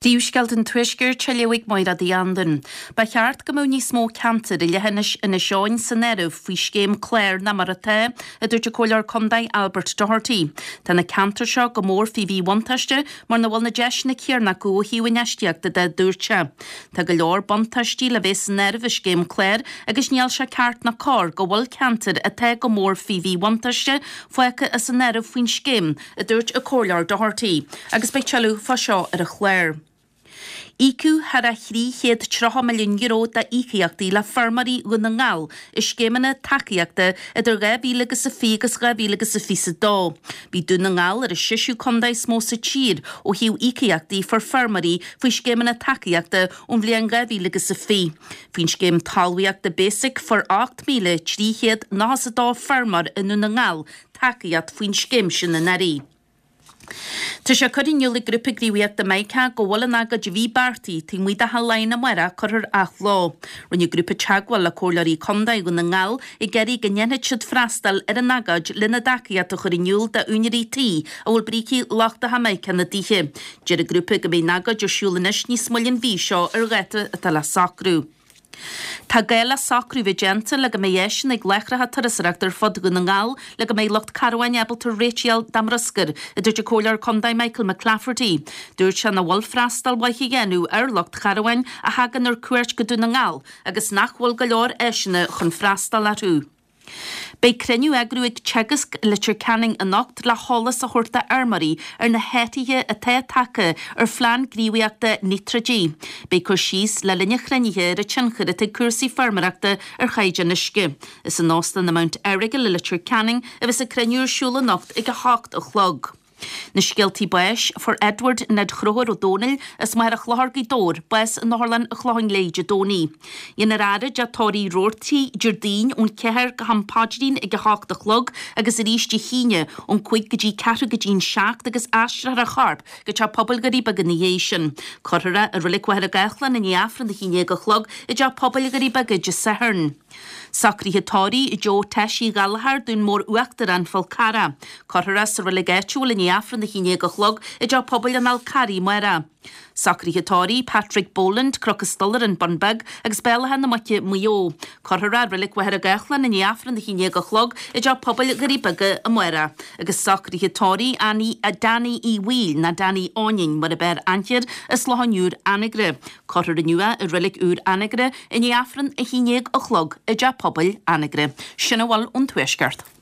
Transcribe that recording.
Príomhscéalta an Tuaiscirt á léamh ag Máire Uí Anluain. Ba cheart go mbeadh níos mó ceantar i leithinis Inis Eoghain san áireamh faoi scéim clár ná mar atá, a dúirt an Comhairleoir Contae Albert Doherty. Tá na ceantair seo go mór faoi mhíbhuntáiste mar nach bhfuil na deiseanna céarna acu ó thaobh infheistíochta de, a dúirt sé. Tá go leor buntáistí le bheith san áireamh i scéim clár agus níl sé ceart ná cóir go bhfuil ceantair atá go mór faoi mhíbhuntáiste fágtha as an áireamh faoin scéim, a dúirt an Comhairleoir Doherty, agus beidh tuilleadh fá seo ar an chlár. Íocadh thar a €330 milliún d'íocaíochtaí le feirmeoirí Dhún na nGall i scéimeanna tacaíochta idir 2020 agus 2022. Bhí Dún na nGall ar an seisiú contae is mó sa tír ó thaobh íocaíochtaí fuair feirmeoirí faoi scéimeanna tacaíochta ón bhliain 2020. Faoin scéim talmhaíochta Basic fuair 8,392 feirmeoir i nDún na nGall tacaíocht faoin scéim sin anuraidh. Tá sé curtha in iúl ag Grúpa Gníomhaíochta Mica go bhfuil an agóid a bhí beartaithe taobh amuigh de Theach Laighean amárach curtha ar athló. Rinne an grúpa teagmháil le Comhairleoirí Contae Dhún na nGall ag iarraidh go ndéanfaidh siad freastal ar an agóid lena dtacaíocht a chur in iúl d'úinéirí tí a bhfuil brící lochtacha mica ina dtithe. Deir an grúpa go mbeidh an agóid ar siúl anois níos moille an mhí seo ar dháta atá le socrú. Tá gá le socrú bheith déanta le go mbeidh áiseanna ag láithreacha turasóireachta ar fud Dhún na nGall le go mbeidh lucht carabháin ábalta réiteach a fháil dá mbruscar, a dúirt an Comhairleoir Contae Michael McClafferty. Dúirt sé nach bhfuil freastal mhaith á dhéanamh ar lucht carabháin a thagann ar cuairt go Dún na nGall agus nach bhfuil go leor áiseanna chun freastal orthu. Beidh cruinniú á eagrú ag Teagasc i Leitir Ceanainn anocht le heolas a thabhairt do fheirmeoirí ar na hathruithe atá tagtha ar phlean gníomhaíochta níotráidí. Beidh cur síos le linn an chruinnithe ar an tionchar atá ag cúrsaí feirmeoireachta ar chaighdeán uisce. Is in Óstán an Mount Errigal i Leitir Ceanainn a bheas an cruinniú ar siúl anocht ag 8 a chlog. Na scéaltaí báis, Fuair Edward Ned Chonchúir Ó Dónaill as Machaire Chlochair, Gaoth Dobhair, bás in Otharlann an Chlocháin Léith Dé Domhnaigh. Dhéanfar a fhaire i dTeach Tórraimh Roarty Déardaoin ón cheathair go ham paidrín ag a hocht a chlog agus arís Dé hAoine ón cúig go dtí ceathrú go dtí an seacht agus aistreofar a chorp go Teach Pobail Dhoirí Beaga ina dhiaidh sin. Cuirfear é i Reilig Mhachaire Gathlán i ndiaidh Aifreann a haon déag a chlog i dTeach Pobail Dhoirí Beaga Dé Sathairn. Socruithe tórraimh Joe Teis Uí Ghallchóir, Dún Mór Uachtar, An Fál Carrach. Cuirfear é sa reilig áitiúil i ndiaidh Aifreann 11 a chlog i dTeach Pobail an Fháil Carraigh amárach. Socruithe tórraimh Patrick Boland, Cnoc an Stolaire, An Bun Beag agus Béal Átha na Muice, Maigh Eo. Cuirfear é i reilig Mhachaire Gathlán i ndiaidh Aifreann 11 a chlog i dTeach Pobail Dhoirí Beaga amárach. Agus socruithe tórraimh Annie, Danny Uí Bhaoill, ná Danny Áininn mar ab fhearr aithne air, as Lochán Úr, Anagaire. Cuirfear inniu é i Reilig Úr Anagaire i ndiaidh Aifreann 11 a chlog i dTeach Pobail Anagaire. Sin a bhfuil ón Tuaisceart.